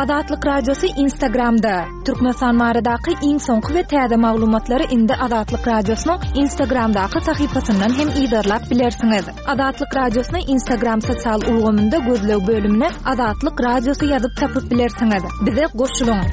Azatlyk Radiosy Instagramda! Türkmenistan baradaky iň soňky we täze maglumatlary indi Azatlyk Radiosynyň Instagramdaky sahypasyndan hem yzarlap bilersiňiz. Azatlyk Radiosyny Instagram sosial ulgamynda gözleg bölümine Azatlyk Radiosy ýazyp tapyp bilersiňiz. Bize goşulyň!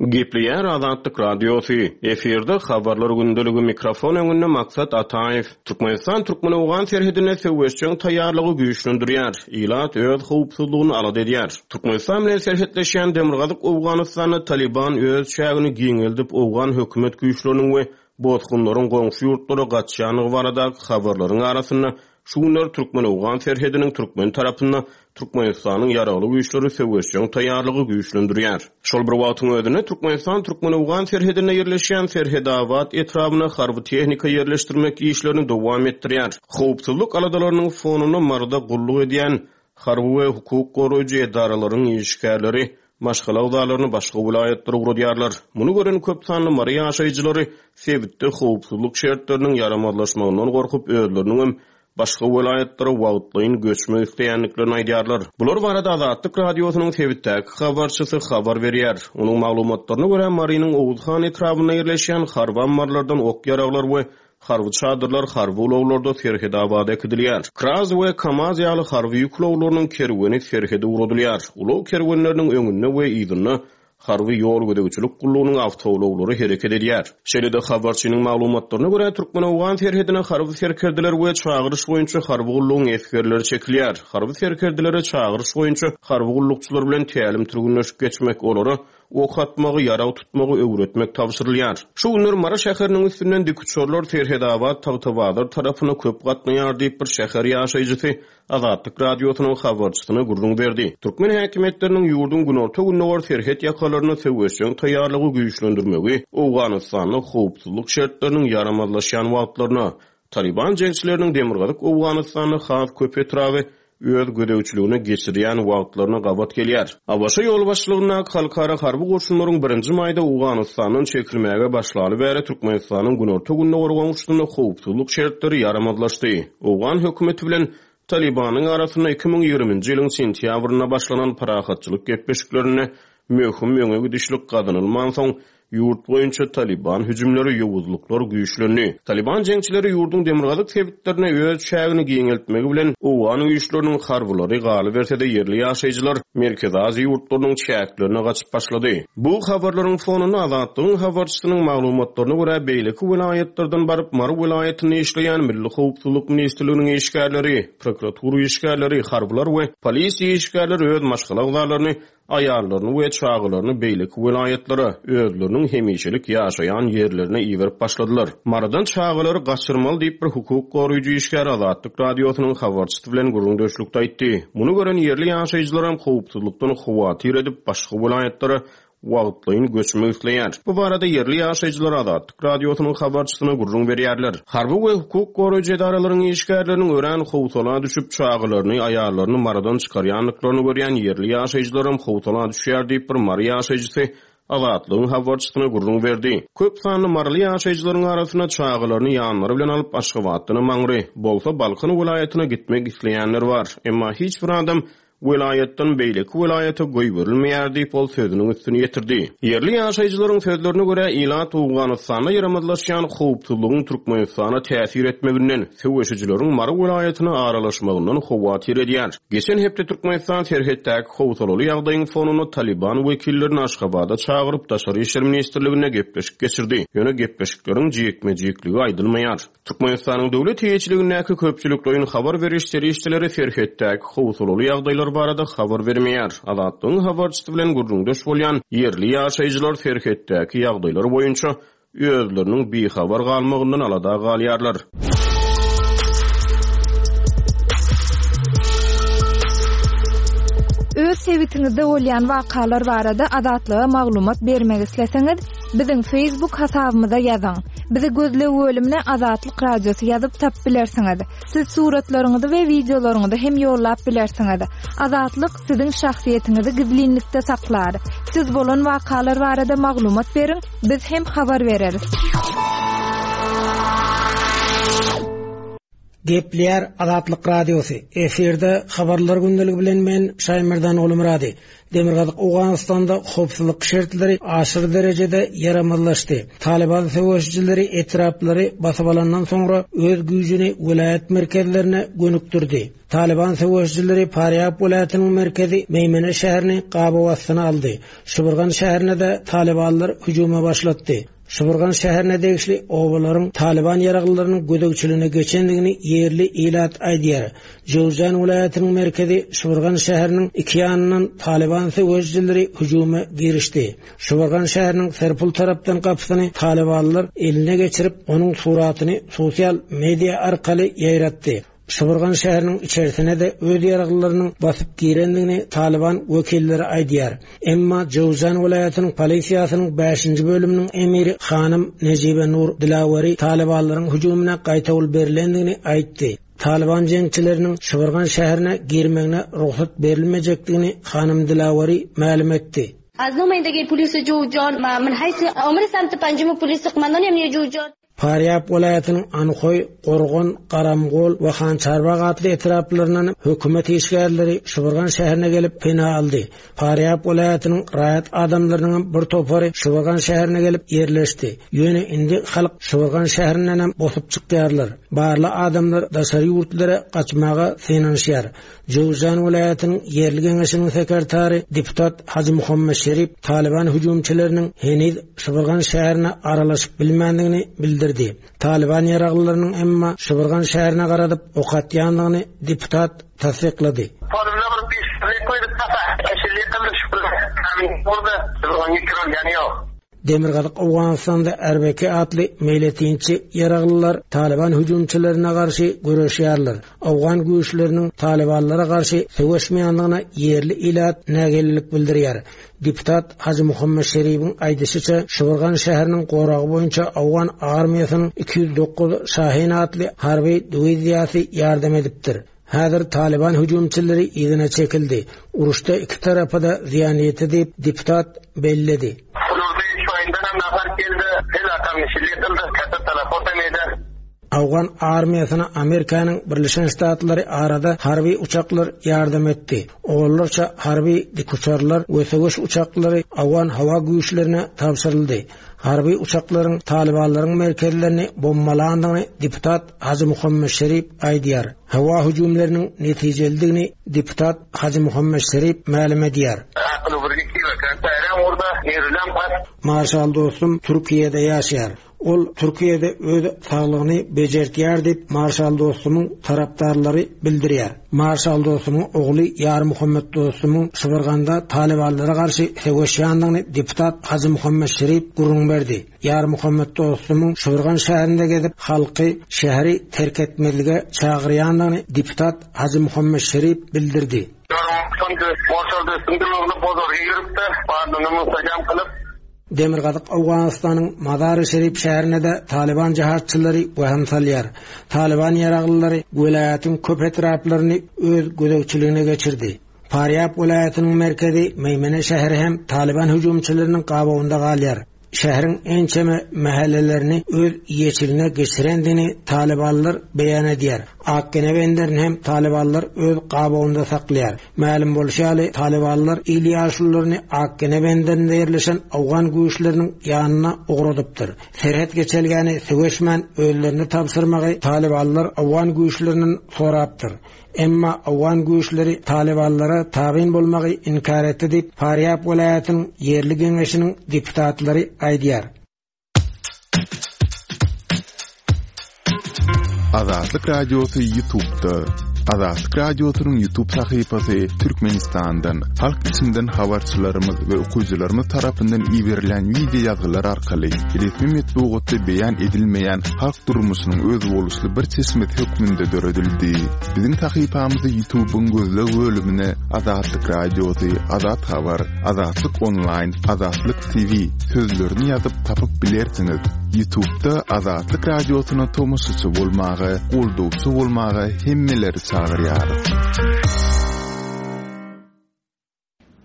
Gepleýär Azatlyk Radiosy, Efirde Habarlar gündeligi mikrofon öňünde Maksat Ataýew. Türkmenistan türkmen-owgan serhedinde söweşjeň taýýarlygy güýçlendirýär, ilat öz howpsuzlygyny alada edýär. Türkmenistan bilen serhetleşýän demirgazyk Owganystanda Talyban öz çägini giňeldip owgan hökümet güýçleriniň we bosgunlaryň goňşy ýurtlara gaçýandygy baradaky habarlaryň arasynda Şu günler türkmen-owgan serhediniň türkmen tarapynda Türkmenistanyň Ýaragly Güýçleri söweşjeň taýýarlygy güýçlendirýär. Şol bir wagtyň özünde, Türkmenistan türkmen-owgan serhedinde ýerleşýän Serhedabat etrabyna harby tehnika ýerleşdirmek işlerini dowam etdirýär. Howpsuzlyk aladalarynyň fonunda Maryda gulluk edýän harby we hukuk goraýjy edaralaryň işgärleri maşgala agzalaryny başga welaýatlara ugradýarlar. Muny gören köp sanly mary ýaşaýjylary sebitde howpsuzlyk şertleriniň ýaramazlaşmagyndan gorkup, özleriniňem başga welaýatlara wagtlaýyn göçmek isleýändiklerini aýdýarlar. Bular barada Azatlyk Radiosynyň sebitdäki habarçysy habar berýär. Onuň maglumatlaryna görä, Marynyň Oguzhan etrabynda ýerleşýän harby ammarlardan ok-ýaraglar we Harby çadyrlar harby ulaglarda Serhedabada äkidilýär. KRAZ we KAMAZ ýaly harby ýük ulaglarynyň kerweni serhede ugradylýar. Ulag kerwenleriniň öňünde we yzynda harby ýol gözegçilik gullugynyň awtoulaglary hereket edýär. Şeýle-de, habarçynyň maglumatlaryna görä, türkmen-owgan serhedine harby serkerdeler we çagyryş boýunça harby gullugyň esgerleri çekilýär. Harby serkerdelere çagyryş boýunça harby gullukçylar bilen tälim-türgenleşik geçmek, olara Ok atmagy, ýarag tutmagy öwretmek tabşyrylýar. Şu günler Mary şäheriniň üstünden dikuçarlar Serhedabat, Tagtabazar tarapyna köp gatnaýar diýip, bir şäher ýaşaýjysy Azatlyk Radiosynyň habarçysyna gürrüň berdi. Türkmen häkimiýetleriniň ýurduň günorta-gündogar serhet ýakalarynda söweşjeň taýýarlygy güýçlendirmegi Owganystanda howpsuzlyk şertleriniň ýaramazlaşýan wagtlaryna, Talyban jeňçileriniň demirgazyk Owganystanda has köp etraby öz gözegçiligine geçirýän wagtlaryna gabat gelýär. ABŞ ýolbaşçylygyndaky halkara harby goşunlaryň birinji maýda Owganystandan çekilmäge başlaly bäri Türkmenistanyň günorta-gündogar goňşusynda howpsuzlyk şertleri ýaramazlaşdy. Owgan hökümeti bilen Talybanyň arasynda 2020-nji ýylyň sentýabrynda başlanan parahatçylyk gepleşiklerinde möhüm öňe gidişlik gazanylmansoň, Ýurt boýunça Talyban hüjümleri, ýowuzlyklar güýçlendi. Talyban jeňçileri ýurduň demirgazyk sebitlerinde öz çägini giňeltmegi bilen, owgan güýçleriniň harbylary, galyberse-de ýerli ýaşaýjylar Merkezi Aziýa ýurtlarynyň çäklerine gaçyp başlady. Bu habarlaryň fonunda Azatlygyň habarçysynyň maglumatlaryna görä, beýleki welaýatlardan baryp Mary welaýatynda işleýän Milli howpsuzlyk ministrliginiň işgärleri, prokuratura işgärleri, harbylar we polisiýa işgärleri öz maşgala agzalaryny aýallaryny we çagalaryny beýleki welaýatlara, özleriniň hemişelik ýaşaýan ýerlerine iberip başladylar. Marydan çagalary gaçyrmaly diýip bir hukuk goraýjy işgär Azatlyk Radiosynyň habarçysy bilen gürrüňdeşlikde aýtdy. Muny gören ýerli ýaşaýjylaram howpsuzlykdan howatyr edip, başga welaýatlara wagtlaýyn göçmek isleýär. Bu barada ýerli ýaşaýjylar Azatlyk Radiosynyň habarçysyna gürrüň berýärler. Harby we hukuk goraýjy edaralaryň işgärleriniň örän howsala düşüp, çagalaryny, aýallaryny Marydan çykarýandyklaryny görýän ýerli ýaşaýjylaram howsala düşýär diýip, bir mary ýaşaýjysy Azatlygyň habarçysyna gürrüň berdi. Köp sanly maryly ýaşaýjylaryň arasynda çagalaryny ýanlary bilen alyp, Aşgabatdanam aňry, bolsa Balkan welaýatyna gitmek isleýänler bar. Emma hiç bir adam welaýatdan beýleki welaýata goýberilmeýär diýip, ol sözüniň üstüni ýetirdi. Ýerli ýaşaýjylaryň sözlerine görä, ilat Owganystanda ýaramazlaşýan howpsuzlygyň Türkmenistana täsir etmeginden, söweşijileriň Mary welaýatyna aralaşmagyndan howatyr edýär. Geçen hepde Türkmenistan serhetdäki howsalaly ýagdaýyň fonunda Talyban wekillerini Aşgabada çagyryp, Daşary işler ministrliginde gepleşik geçirdi. Ýöne gepleşikleriň jikme-jikligi aýdylmaýar. Türkmenistanyň döwlet eýeçiligindäki köpçülikleýin habar beriş serişdeleri serhetdäki howsalaly ýagdaýlar barada habar bermeýär. Azatlygyň habarçysy bilen gürrüňdeş bolýan ýerli ýaşaýjylar serhetdäki ýagdaýlar boýunça özleriniň bihabar galmagyndan alada galýarlar. Öz sebitiňizde bolýan wakalar barada Azatlyga maglumat bermek isleseňiz, Biziň Facebook hasabymyza ýazyň. Bizi gözleg bölümine Azatlyk Radiosy ýazyp tapyp bilersiňiz. Siz suratlaryňyzy we wideolaryňyzy hem ýollap bilersiňiz. Azatlyk siziň şahsyýetiňizi gizlinlikde saklar. Siz bolan wakalar barada maglumat beriň, biz hem habar bereris. Gepleýär Azatlyk Radiosy, efirde Habarlar gündeligi bilen men Şaýmerdan Gulmyrady. Demirgazyk Owganystanda howpsuzlyk şertleri aşyr derejede ýaramazlaşdy. Talyban söweşijileri etraplary basyp alandan soňra öz güýjüni welaýat merkezlerine gönükdirdi. Talyban söweşijileri Farýab welaýatynyň merkezi Meýmene şäherini gabaw astyna aldy. Şybyrgan şäherine-de talybanlar hüjüme başlatdy. Şybyrgan şäherine degişli obalaryň talyban ýaraglylarynyň gözegçiligine geçendigini ýerli ilat aýdýar. Jöwzjan welaýatynyň merkezi Şybyrgan şäheriniň iki ýanyndan talyban söweşijileri hüjüme girişdi. Şybyrgan şäheriniň Serpul tarapdan gapysyny talybanlar eline geçirip, onuň suratyny sosial media arkaly ýaýratdy. Şybyrgan şäheriniň içerisine-de öz ýaraglylarynyň basyp girendigini Talyban wekilleri aýdýar. Emma Jöwzjan welaýatynyň polisiýasynyň bäşinji bölüminiň emiri hanym Nejibe Nur Dilaweri talybanlaryň hüjümine gaýtawul berlendigini aýtdy. Talyban jeňçileriniň Şybyrgan şäherine girmegine rugsat berilmejekdigini hanym Dilaweri mälim etdi. از نمایندگی پلیس جوزجان و من حیث آمر سمت پنجم پلیس قماندان امنیه جوزجان Farýap welaýatynyň Anhoý, Gorgan, Garamgol we Hançarbag atly etraplaryndan hökümet işgärleri Şybyrgan şäherine gelip pena aldy. Farýap welaýatynyň raýat adamlarynyňam bir topary Şybyrgan şäherine gelip ýerleşdi. Ýöne indi halk Şybyrgan şäherindenem bosup çykýarlar. Barly adamlar daşary ýurtlara gaçmaga synanyşýar. Jöwzjan welaýatynyň ýerli geňeşiniň sekretary deputat Hajy Muhammet Şerip Talyban hüjümçileriniň heniz Şybyrgan şäherine aralaşyp bilmändigini bildirdi. Talyban ýaraglylarynyň emma Şybyrgan şäherine garadyp ok atýandygyny deputat tassyklady. Demirgazyk Owganystanda RBK atly meýletinçi ýaraglylar Talyban hüjümçilerine garşy göreşýärler. Owgan güýçleriniň talybanlara garşy söweşmeýändigine ýerli ilat nägilelik bildirýär. Deputat Hajy Muhammet Şeribiň aýdyşyça, Şybyrgan şäheriniň goragy boýunça owgan armiýasynyň 209 Şahin atly harby diwiziýasy ýardam edipdir. Häzir Talyban hüjümçileri yzyna çekildi. Uruşda iki tarapa-da zyýan ýetdi diýip, deputat belledi. Owgan armiýasyna Amerikanyň Birleşen Ştatlary arada harby uçaklar ýardam etdi. Onlarça harby dikuçarlar we söweş uçaklary owgan howa güýçlerine tabşyryldy. Harby uçaklaryň talybanlaryň merkezlerini bombalandygyny deputat Hajy Muhammet Şerip aýdýar. Howa hüjümleriniň netijelidigini deputat Hajy Muhammet Şerip mälim edýär. Marşal dostum Türkiýede ýaşaýar. Ol Türkiýede öz saglygyny bejertýär diýip, Marşal Dostumyň tarapdarlary bildirýär. Marşal Dostumyň ogly Ýarmuhammet Dostumyň Şybyrganda talybanlara garşy söweşýändigini deputat Hajymuhammet Şerip gürrüň berdi. Ýarmuhammet Dostumyň Şybyrgan şäherinde gezip, halky şäheri terk etmezlige çagyrýandygyny deputat Hajymuhammet Şerip bildirdi. Demirgazyk Owganystanyň Mazary-Şerif şäherine-de talyban jihadçylary wehim salýar. Talyban ýaraglylary welaýatyň köp etraplaryny öz gözegçiligine geçirdi. Farýab welaýatynyň merkezi Meýmene şäheri hem talyban hüjümçileriniň gabawynda galýar. Şäheriň ençeme mähellelerini öz eýeçiligine geçirendigini talybanlar beýan edýär. Akgene benderini hem talybanlar öz gabawynda saklaýar. Mälim bolşy ýaly, talybanlar il ýaşulularyny Akgene benderinde ýerleşen owgan güýçleriniň ýanyna ugradypdyr. Serhet geçelgäni söweşmän özlerine tabşyrmagy talybanlar owgan güýçlerinden sorapdyr. Emma owgan güýçleri talybanlara tabyn bolmagy inkär etdi diýip, Farýab welaýatynyň ýerli geňeşiniň deputatlary aýdýar. Azatlyk Radiosy Ýutubda. Azatlyk Radiosynyň Ýutub sahypasy Türkmenistandan, halk içinden habarçylarymyz we okyjylarymyz tarapyndan iberilen wideo ýazgylar arkaly resmi metbugatda beýan edilmeýän halk durmuşynyň özboluşly bir çeşmesi hökmünde döredildi. Biziň sahypamyzy Ýutubyň gözleg bölümine Azatlyk Radiosy, Azat Habar, Azatlyk Onlaýn, Azatlyk TV sözlerini ýazyp tapyp bilersiňiz. Ýutubda Azatlyk Radiosyna tomaşaçy bolmaga, goldawçy bolmaga hemmeleri çagyrýarys.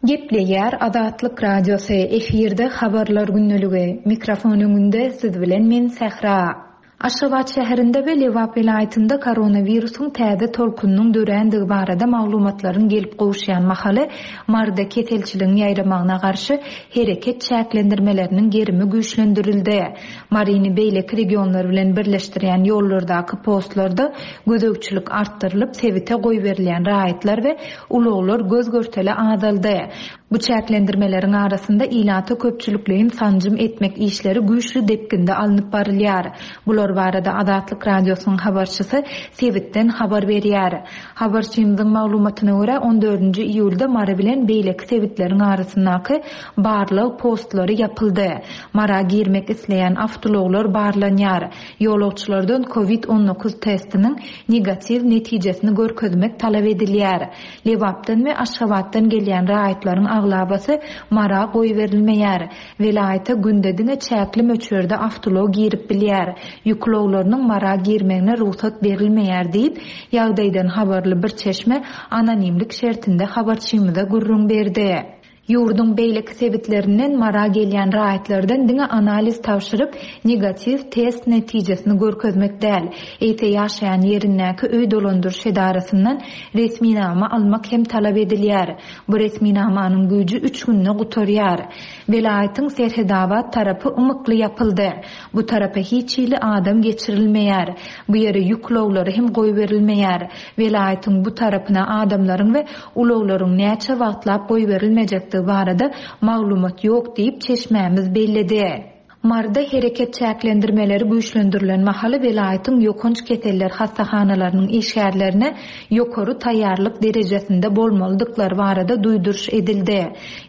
Gepleýär Azatlyk Radiosy, efirde Habarlar gündeligi. Mikrofon öňünde siz bilen men Sähra. Aşgabat şäherinde we Lebap welaýatynda koronawirusyň täze tolkunynyň dörändigi barada maglumatlaryň gelip gowuşýan mahaly, Maryda keselçiligiň ýaýramagyna garşy hereket çäklendirmeleriniň gerimi güýçlendirildi. Maryny beýleki regionlar bilen birleşdirýän ýollardaky postlarda gözegçilik artdyrylyp, sebite goýberilýän raýatlar we ulaglar göz-görtele azaldy. Bu çäklendirmeleriň arasynda ilata köpçülikleýin sanjym etmek işleri güýçli depginde alnyp barylýar. Bular barada Azatlyk Radiosynyň habarçysy sebitden habar berýär. Habarçymyzyň maglumatyna görä, on dördünji iýulda Mary bilen beýleki sebitleriň arasyndaky barlag postlary ýapyldy. Mara girmek isleýän awtoulaglar barlanýar. Ýolagçylardan covid 19 testiniň negatiw netijesini görkezmek talap edilýär. Lebapdan we Aşgabatdan gelýän raýatlaryň aglabasy Mara goýberilmeýär. Welaýata günde diňe çäkli möçberde awtoulag girip bilýär. Ýük ulaglarynyň Mara girmegine rugsat berilmeýär diýip, ýagdaýdan habarly bir çeşme anonimlik şertinde habarçymyza gürrüň berdi. Ýurduň beýleki sebitlerinden Mara gelýän raýatlardan diňe analiz tabşyryp, negatiw test netijesini görkezmek däl, eýse ýaşaýan ýerindäki öý dolandyryş edarasyndan resminama almak hem talap edilýär. Bu resminamanyň güýji üç günde gutarýar. Welaýatyň Serhedabat tarapy ymykly ýapyldy. Bu tarapa hiç hili adam geçirilmeýär. Bu ýere ýük ulaglary hem goýberilmeýär. Welaýatyň bu tarapyna adamlaryň we ulaglaryň näçe wagtlap goýberilmejekdigi barada maglumat ýok diýip, çeşmämiz belledi. Maryda hereket çäklendirmeleri güýçlendirilen mahaly welaýatyň ýokanç keseller hassahanalarynyň işgärlerine ýokary taýýarlyk derejesinde bolmalydyklary barada duýduryş edildi.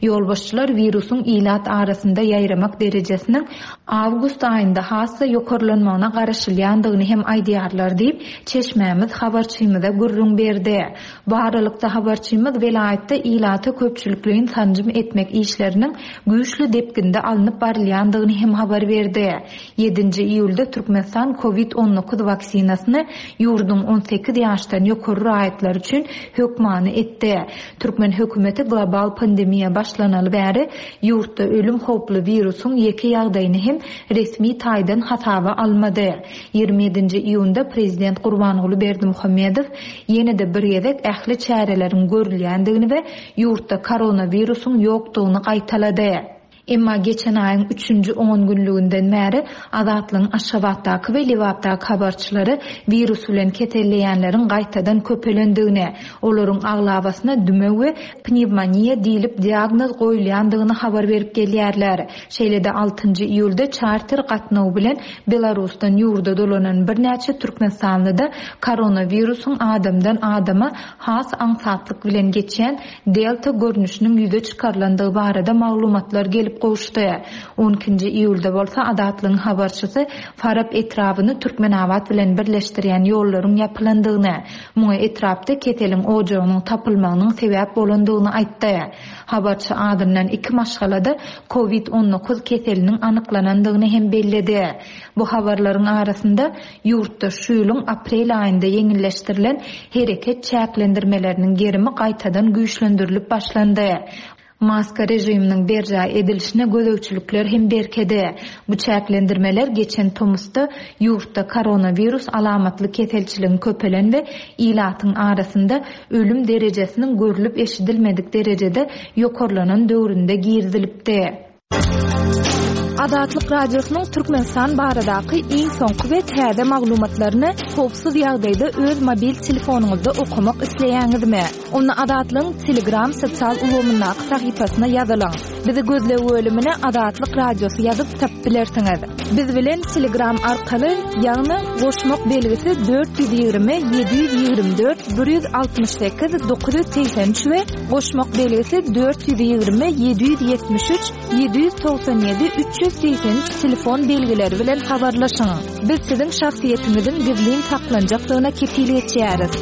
Ýolbaşçylar wirusyň ilat arasynda ýaýramak derejesiniň awgust aýynda has-da ýokarlanmagyna garaşylýandygyny hem aýdýarlar diýip, çeşmämiz habarçymyza gürrüň berdi. Bu aralykda, habarçymyz welaýatda ilata köpçülikleýin sanjym etmek işleriniň güýçli depginde alnyp barylýandygyny hem habar berdi. Ýedinji iýulda Türkmenistan Covid 19 waksinasyny ýurduň 18 ýaşdan ýokary raýatlary üçin hökmany etdi. Türkmen hökümeti global pandemiýa başlanaly bäri ýurtda ölüm howply wirusyň ýeke ýagdaýyny hem resmi taýdan hasaba almady. 27-nji iýunda prezident Gurbanguly Berdimuhamedow ýene-de bir gezek ähli çäreleriň görülýändigini we ýurtda koronawirusyň ýokdugyny gaýtalady. Emma geçen aýyň üçünji ongünlüginden bäri Azatlygyň Aşgabatdaky we Lebapdaky habarçylary wirus bilen keselleýänleriň gaýtadan köpelendigini, olaryň aglabasyna dümew we pnewmoniýa diýlip diagnoz goýulýandygyny habar berip gelýärler. Şeýle-de altynjy iýulda çarter gatnawy bilen Belarusdan ýurda dolanan birnäçe türkmenistanlyda koronawirusyň adamdan adama has aňsatlyk bilen geçýän Delta görnüşiniň ýüze çykarylandygy barada maglumatlar gelip gowuşdy. On ikinji iýulda bolsa Azatlygyň habarçysy Farap etrabyny Türkmenabat bilen birleşdirýän ýollaryň ýapylandygyny, muňa etrapda keseliň ojagynyň tapylmagynyň sebäp bolandygyny aýtdy. Habarçy azyndan iki maşgalada Covid 19 keseliniň anyklanandygyny hem belledi. Bu habarlaryň arasynda, ýurtda şu ýylyň aprel aýynda ýeňilleşdirilen hereket çäklendirmeleriniň gerimi gaýtadan güýçlendirilip başlandy. Maska režiminiň berjaý edilişine gözegçilikler hem berkedi. Bu çäklendirmeler geçen tomusda ýurtda koronawirus alamatly keselçiligiň köpelen we ilatyň arasynda ölüm derejesiniň görlüp-eşidilmedik derejede ýokarlanan döwründe girizilipdi. Azatlyk Radiosynyň Türkmenistan baradaky iň soňky we täze maglumatlaryny howpsuz ýagdaýda öz mobil telefonyňyzda okamak isleýäňizmi? Onda Azatlygyň Telegram sosial ulgamyndaky sahypasyna ýazylyň. Bizi gözleg bölümine Azatlyk Radiosy ýazyp tapyp bilersiňiz. Biz bilen Telegram arkaly, ýagny goşmak belgisi 420 724 168 983 we goşmak belgisi 420 773 797 383 telefon belgileri bilen habarlaşyň. Biz siziň şahsyýetiňiziň gizlin saklanjakdygyna kepil geçýäris.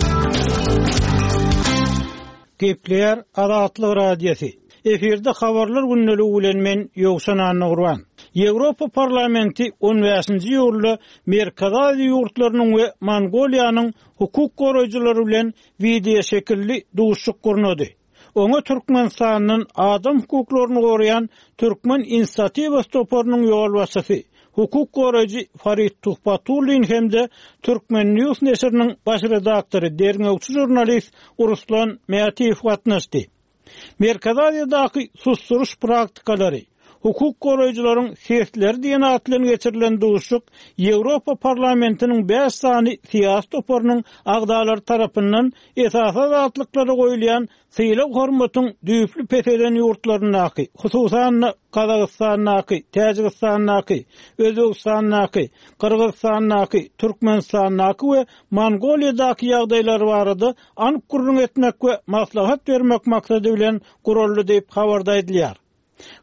Gepleýär Azatlyk Radiosy. Efirde Habarlar gündeligi bilen men Ýowşan Annagurban. Ýewropa Parlamenti on bäşinji iýulda Merkezi Aziýa ýurtlarynyň we Mongoliýanyň hukuk goraýjylary bilen wideoşekilli duşuşyk gurnady. Oňa Türkmenistandan adam hukuklaryny goraýan Türkmen inisiatiwasy toparynyň ýolbaşçysy, hukuk goraýjy Farid Tuhbatullin hem-de Turkmen. News neşiriniň baş redaktory, derňewçi žurnalist Ruslan Mätiýew gatnaşdy. Merkezi Aziýadaky susduryş praktikalary, hukuk goraýjylaryň sesleri diýen at bilen geçirilen duşuşyk Ýewropa Parlamentiniň bäş sany syýasy toparynyň agzalary tarapyndan esasy azatlyklara goýulýan sylag-hormatyň düýpli peselen ýurtlaryndaky, hususan-da, Gazagystandaky, Täjigistandaky, Özbegistandaky, Gyrgyzystandaky, Türkmenistandaky we Mongoliýadaky ýagdaýlar barada anyk gürrüň etmek we maslahat bermek maksady bilen guraldy diýip, habarda aýdylýar.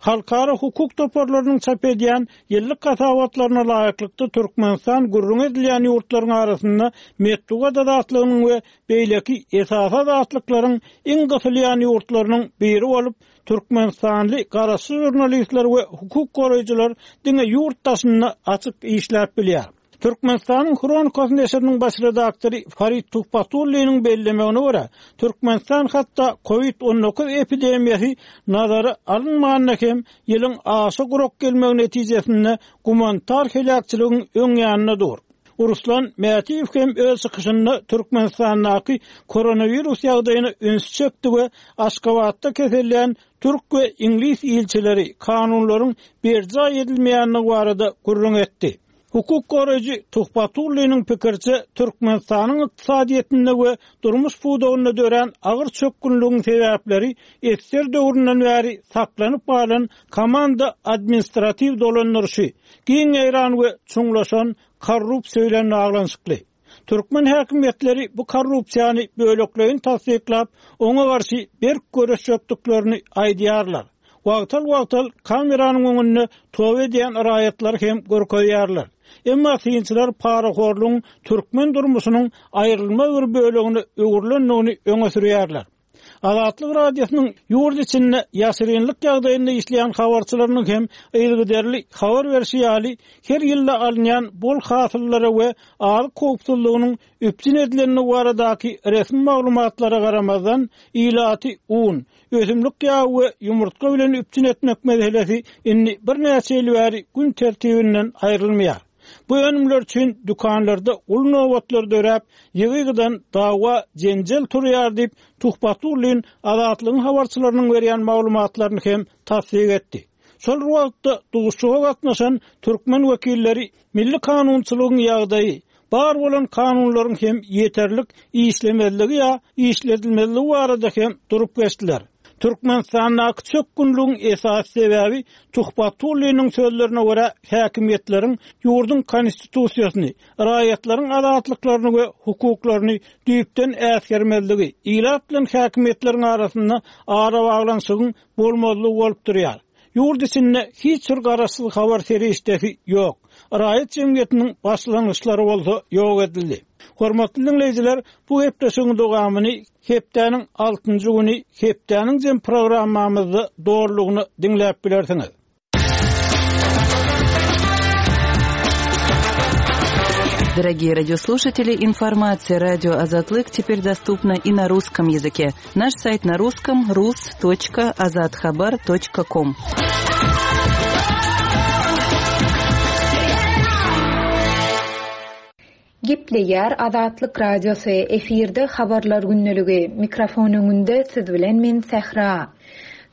Halkara hukuk toparlarynyň çap edýän ýyllyk hasabatlaryna laýyklykda, Türkmenistan gürrüňi edilýän ýurtlaryň arasynda metbugat azatlygynyň we beýleki esasy azatlyklaryň iň gysylýan ýurtlarynyň biri bolup, türkmenistanly garaşsyz žurnalistler we hukuk goraýjylar diňe ýurt daşynda açyk işläp bilýär. Türkmenistanyň Hronikasy neşiriniň baş redaktory Farid Tuhbatulliniň bellemegine görä, Türkmenistan hatda Covid 19 epidemiýasy nazara alynmanda hem ýylyň aşa gurak gelmegi netijesinde gumanitar heläkçiligiň öň ýanynda dur. Ruslan Mätiýew hem öz çykyşynda Türkmenistandaky koronawirus ýagdaýyna ünsi çekdi we Aşgabatda kesellän türk we iňlis ilçileri kanunlaryň berjaý edilmeýändigi barada gürrüň etdi. Hukuk goraýjy Tuhbatulliniň pikiriçe, Türkmenistanyň ykdysadyýetinde we durmuş pudagynda dörän agyr çökgünligiň sebäpleri ssr döwründen bäri saklanyp galan komanda-administratiw dolandyryşy, giň ýaýran we çuňlaşan korrupsiýa bilen baglanyşykly. Türkmen häkimiýetleri bu korrupsiýany bölekleýin tassyklap, oňa garşy berk göreşjekdiklerini aýdýarlar. Wagtal-wagtal kameranyň öňünde toba edýän raýatlary hem görkezýärler. Emma synçylar parahorlugyň türkmen durmuşynyň aýrylmaz bir bölegine öwrülendigini öňe sürýärler. Azatlyk Radiosynyň ýurt içinde ýaşyrynlyk ýagdaýynda işleýän habarçylarynyň hem yzygiderli habar berşi ýaly, her ýylda alynýan bol hasyllara we azyk howpsuzlygynyň üpjün edilendigi baradaky resmi maglumatlara garamazdan, ilaty un, ösümlik ýagy we ýumurtga bilen üpjün etmek meselesi indi birnäçe ýyl bäri gün tertibinden aýrylmaýar. Bu önümler üçin dükanlarda uly nobatlar döräp, ýygy-ýygydan dawa-jenjel turýar diýip, Tuhbatullin Azatlygyň habarçylarynyň berýän maglumatlaryny hem tassyk etdi. Şol bir wagtda, duşuşyga gatnaşan türkmen wekilleri milli kanunçylygyň ýagdaýy, bar bolan kanunlaryň hem ýeterlik işlemezligi ýa işledilmezligi barada hem durup geçdiler. Türkmenistandaky çökgünligiň esasy sebäbi, Tuhbatulliniň sözlerine görä, häkimiýetleriň ýurduň Konstitusiýasyny, raýatlaryň azatlyklaryny we hukuklaryny düýpden äsgermezligi, ilat bilen häkimiýetleriň arasynda arabaglanyşygyň bolmazlygy bolup durýar. Ýurt içinde hiç bir garaşsyz habar serişdesi ýok. Raýat jemgyýetiniň başlangyçlary bolsa ýok edildi. Hormatly diňleýjiler, bu gepleşigiň dowamyny hepdäniň altynjy güni Hepdäniň jem programmamyzda dolulygyna diňläp bilersiňiz. Дорогие радиослушатели, информация радио Азатлык теперь доступна и на русском языке. Наш сайт на русском rus.azathabar.com. Gepleýär Azatlyk Radiosy, efirde Habarlar gündeligi, mikrofon öňünde siz bilen men Sähra.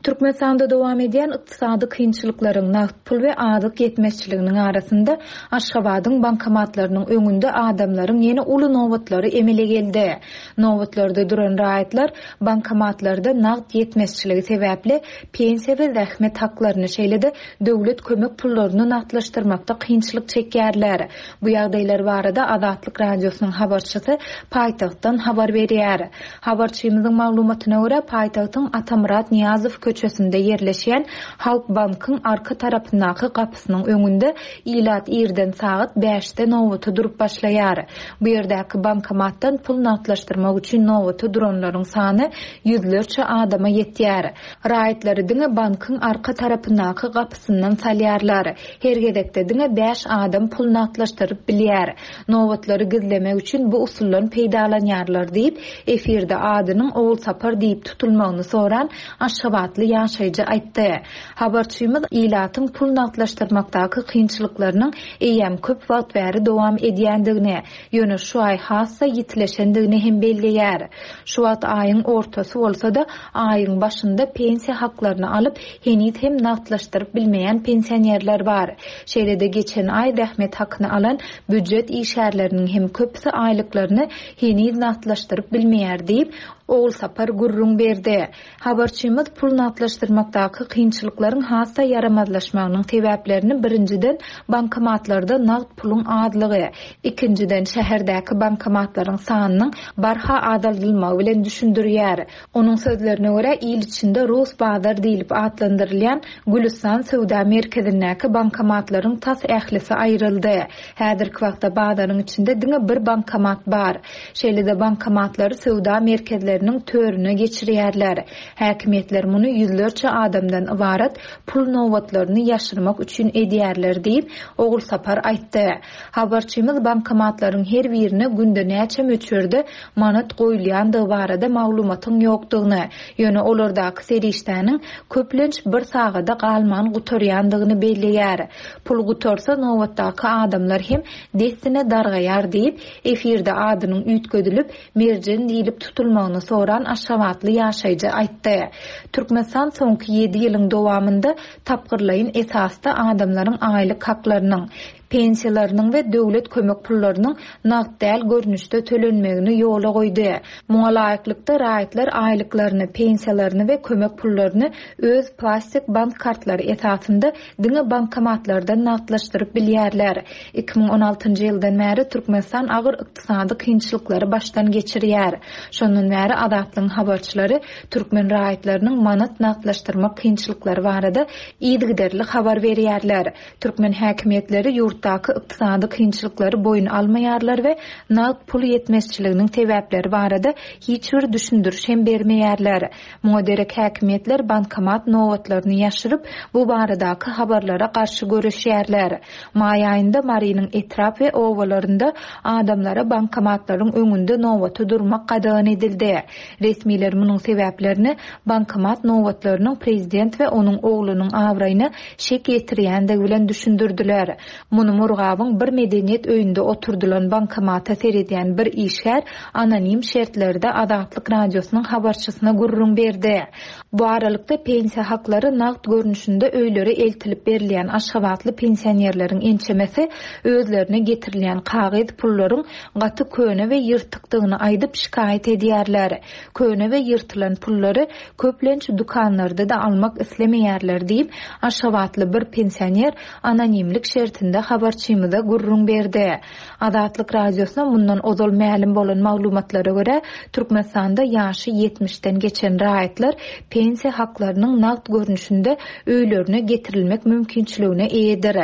Türkmenistanda dowam edýän ykdysady kynçylyklaryň, nagt pul we azyk ýetmezçiliginiň arasynda Aşgabadyň bankomatlarynyň öňünde adamlaryň ýene uly nobatlary emele geldi. Nobatlarda duran raýatlar bankomatlarda nagt ýetmezçiligi sebäpli pensiýa we zähmet haklaryny, şeýle-de döwlet kömek pullaryny nagtlaşdyrmakda kynçylyk çekýärler. Bu ýagdaýlar barada Azatlyk Radiosynyň habarçysy paýtagtdan habar berýär. Habarçymyzyň maglumatyna görä, paýtagtyň Atamyrat Nyýazow köçesinde ýerleşýän Halkbankyň arka tarapyndaky gapysynyň öňünde ilat irden sagat bäşde nobata durup başlaýar. Bu ýerdäki bankomatdan pul nagtlaşdyrmak üçin nobata duranlaryň sany ýüzlerçe adama ýetýär. Raýatlary diňe bankyň arka tarapyndaky gapysyndan salýarlar. Her gezekde diňe bäş adam pul nagtlaşdyryp bilýär. Nobatlary gizlemek üçin bu usuldan peýdalanýarlar diýip, efirde adynyň Ogulsapar diýip tutulmagyny soran aşgabatly. aşgabatly ýaşaýjy aýtdy. Habarçymyz ilatyň pul nagtlaşdyrmakdaky kynçylyklarynyň eýýäm köp wagt bäri dowam edýändigini, ýöne şu aý has-da ýitileşendigini hem belleýär. Şu wagt aýyň ortasy bolsa-da, aýyň başynda pensiýa haklaryny alyp, heniz hem nagtlaşdyryp bilmeýän pensionerler bar. Şeýle-de geçen aý zähmet hakyny alan býujet işgärleriniň hem köpüsi aýlyklaryny heniz nagtlaşdyryp bilmeýär diýip, Ogulsapar gürrüň berdi. Habarçymyz pul nagtlaşdyrmakdaky kynçylyklaryň has-da ýaramazlaşmagynyň sebäplerini birinjiden, bankomatlarda nagt puluň azlygy, ikinjiden, şäherdäki bankomatlaryň sanynyň barha azaldylmagy bilen düşündirýär. Onuň sözlerine görä, il içinde Rus bazar diýlip atlandyrylýan Gülüstan söwda merkezindäki bankomatlaryň tas ählisi aýryldy. Häzirki wagtda bazaryň içinde diňe bir bankomat bar. Şeýle-de bankomatlary söwda merkezleriniň törüne geçirýärler. Häkimiýetler muny ýüzlerçe adamdan ybarat pul nobatlaryny ýaşyrmak üçin edýärler diýip, Ogulsapar aýtdy. Habarçymyz bankomatlaryň her birine günde näçe möçberde manat goýulýandygy barada maglumatyň ýokdugyny, ýöne olardaky serişdäniň köplenç bir sagada galman gutarýandygyny belleýär. Pul gutarsa, nobatdaky adamlar hem dessine dargaýar diýip, efirde adynyň üýtgedilip, Merjen diýlip tutulmagyny soran aşgabatly ýaşaýjy aýtdy. Türkmenistan soňky ýedi ýylyň dowamynda tapgyrlaýyn esasda adamlaryň aýlyk haklarynyň, pensiýalarynyň we döwlet kömek pullarynyň nagt däl görnüşde tölenmegini ýola goýdy. Muňa laýyklykda, raýatlar aýlyklaryny, pensiýalaryny we kömek pullaryny öz plastik bank kartlary esasynda diňe bankomatlardan nagtlaşdyryp bilýärler. 2016-njy ýyldan bäri Türkmenistan agyr ykdysady kynçylyklary başdan geçirýär. Şondan bäri Azatlygyň habarçylary türkmen raýatlarynyň manat nagtlaşdyrmak kynçylyklary barada yzygiderli habar berýärler. Türkmen häkimiýetleri ýurtdaky ykdysady kynçylyklary boýun almaýarlar we nagt pul ýetmezçiliginiň sebäpleri barada hiç bir düşündiriş hem bermeýärler. Muňa derek häkimiýetler bankomat nobatlaryny ýaşyryp, bu baradaky habarlara garşy göreşýärler. Maý aýynda Marynyň etrap we obalarynda adamlara bankomatlaryň öňünde nobata durmak gadagan edildi. Resmiler munuň sebäplerini bankomat nobatlarynyň prezident we onuň oglunyň abraýyna şek ýetirýändigi bilen düşündirdiler. Muny Murgabyň bir medeniýet öýünde oturdylan bankomata seredýän bir işgär anonim şertlerde Azatlyk Radiosynyň habarçysyna gürrüň berdi. Bu aralykda, pensiýa haklary nagt görnüşinde öýlere eltilip berilýän aşgabatly pensionerleriň ençemesi özlerine getirilýän kagyz pullaryň gaty köne we ýyrtykdygyny aýdyp şikaýat edýärler. Köne we ýyrtylan pullary köplenç dükanlarda-da almak islemeýärler diýip, aşgabatly bir pensioner anonimlik şertinde habarçymyza gürrüň berdi. Azatlyk Radiosyna mundan ozal mälim bolan maglumatlara görä, Türkmenistanda ýaşy ýetmişden geçen raýatlar pensiýa haklarynyň nagt görnüşinde öýlerine getirilmek mümkinçiligine eýedir.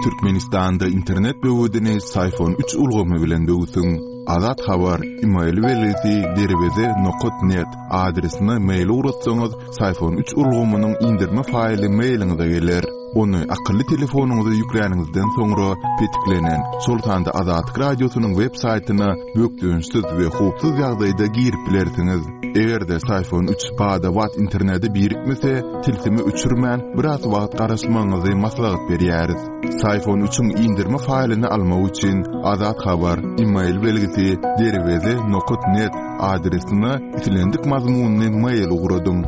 Türkmenistanda internet böwedini Syfon üç ulgamy bilen böwsüň. Azat Habar, email belgisi derweze nokat net adresine mail ugratsaňyz, Syfon üç ulgamynyň indirme faýly mailiňize geler. Ony akylly telefonyňyza ýükläniňizden soňra petiklenen, şol sanda Azatlyk Radiosynyň web saýtyna bökdençsiz we howpsuz ýagdaýda girip bilersiňiz. Eger-de Syfon üç bada-bat internete birikmese, tilsimi öçürmän, biraz wagt garaşmagyňyzy maslahat berýäris. Syfon üçiň indirme faýlyny almak üçin Azat Habar, email belgisi derweze nokat net adresine islendik mazmunly mail ugradyň.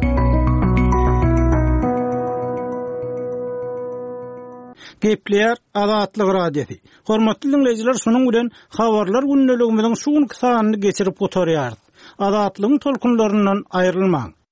Gepleýär Azatlyk Radiosy. Hormatly diňleýjiler, şunuň bilen Habarlar gündeligimiziň şu günki sanyny geçirip gutarýarys. Azatlygyň tolkunlaryndan aýrylmaň!